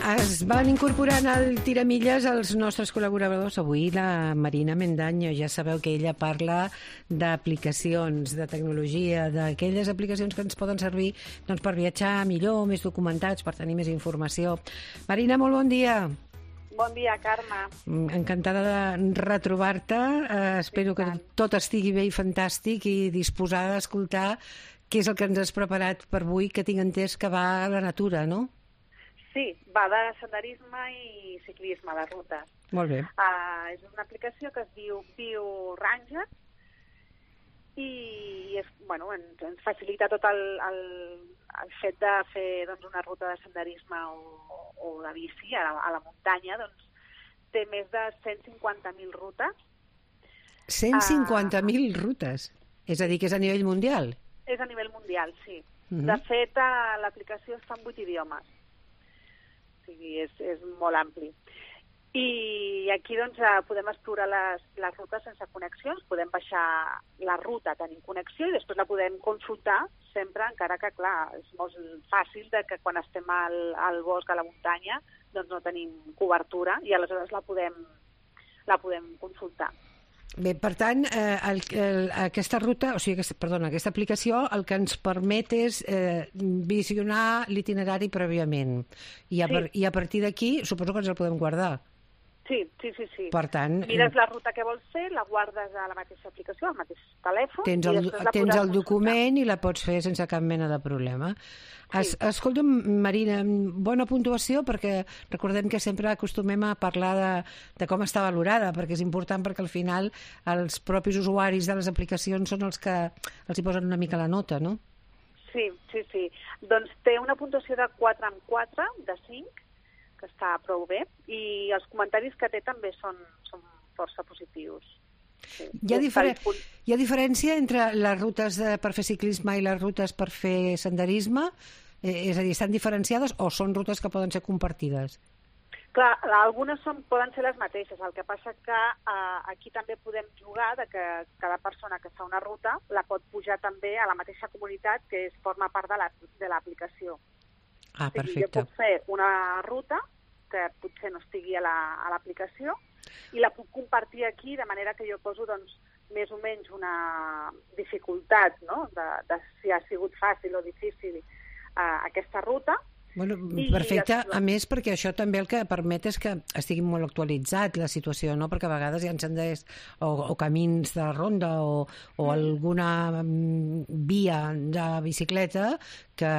Es van incorporant al Tiramilles els nostres col·laboradors. Avui la Marina Mendaño, ja sabeu que ella parla d'aplicacions, de tecnologia, d'aquelles aplicacions que ens poden servir doncs, per viatjar millor, més documentats, per tenir més informació. Marina, molt bon dia. Bon dia, Carme. Encantada de retrobar-te. Espero que tot estigui bé i fantàstic i disposada a escoltar què és el que ens has preparat per avui, que tinc entès que va a la natura, no? Sí, va de senderisme i ciclisme de rutes. Molt bé. És una aplicació que es diu BioRanger i ens facilita tot el fet de fer una ruta de senderisme o de bici a la muntanya. Doncs, té més de 150.000 rutes. 150.000 rutes? És a dir, que és a nivell mundial? És a nivell mundial, sí. De fet, l'aplicació està en 8 idiomes. O sigui, és molt ampli. I aquí podem explorar les rutes sense connexions, podem baixar la ruta tenint connexió i després la podem consultar sempre, encara que, clar, és molt fàcil que quan estem al bosc, a la muntanya, doncs no tenim cobertura i aleshores la podem consultar. Bé, per tant, aquesta ruta, aquesta aplicació el que ens permet és visionar l'itinerari prèviament i a partir d'aquí suposo que ens el podem guardar. Sí. Per tant, mires la ruta que vols fer, la guardes a la mateixa aplicació, al mateix telèfon. Tens el document i la pots fer sense cap mena de problema. Sí. Escolta'm, Marina, bona puntuació, perquè recordem que sempre acostumem a parlar de com està valorada, perquè és important, perquè al final els propis usuaris de les aplicacions són els que els hi posen una mica la nota, no? Sí. Doncs té una puntuació de 4/4, de 5, que està prou bé, i els comentaris que té també són força positius. Sí. Hi ha diferència entre les rutes per fer ciclisme i les rutes per fer senderisme? És a dir, estan diferenciades o són rutes que poden ser compartides? Clar, algunes poden ser les mateixes. El que passa que aquí també podem jugar de que cada persona que fa una ruta la pot pujar també a la mateixa comunitat que forma part de l'aplicació. Ah, perfecte. O sigui, jo puc fer una ruta que potser no estigui a l'aplicació i la puc compartir aquí de manera que jo poso més o menys una dificultat, no? de si ha sigut fàcil o difícil aquesta ruta. Bueno, perfecte, a més perquè això també el que permet és que estigui molt actualitzat la situació, no? Perquè a vegades hi ha senders o camins de ronda o alguna via de bicicleta que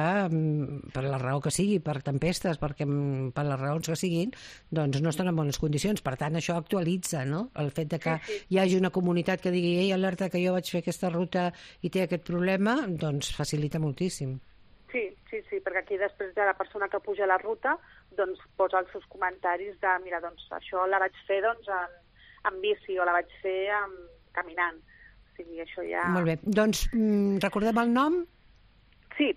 per la raó que sigui, per tempestes, per les raons que siguin, doncs no estan en bones condicions. Per tant, això actualitza, no? El fet de que hi hagi una comunitat que digui ei, alerta que jo vaig fer aquesta ruta i té aquest problema, doncs facilita moltíssim. Sí, perquè aquí després de la persona que puja la ruta doncs posa els seus comentaris de mira, doncs això la vaig fer en bici o la vaig fer caminant. O sigui, això ja... Molt bé. Doncs recordem el nom? Sí,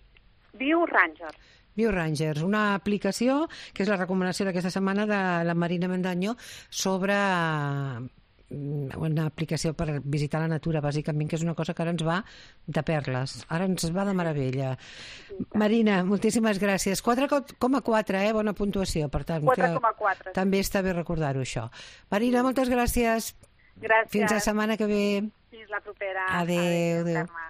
BioRanger. BioRanger, una aplicació que és la recomanació d'aquesta setmana de la Marina Mendaño sobre una aplicació per visitar la natura, bàsicament, que és una cosa que ara ens va de perles, ara ens va de meravella. Marina, moltíssimes gràcies. 4,4, bona puntuació, per tant, 4,4. També està bé recordar-ho, això. Marina, moltes gràcies. Gràcies. Fins la setmana que ve. Fins la propera. Adéu. Carme.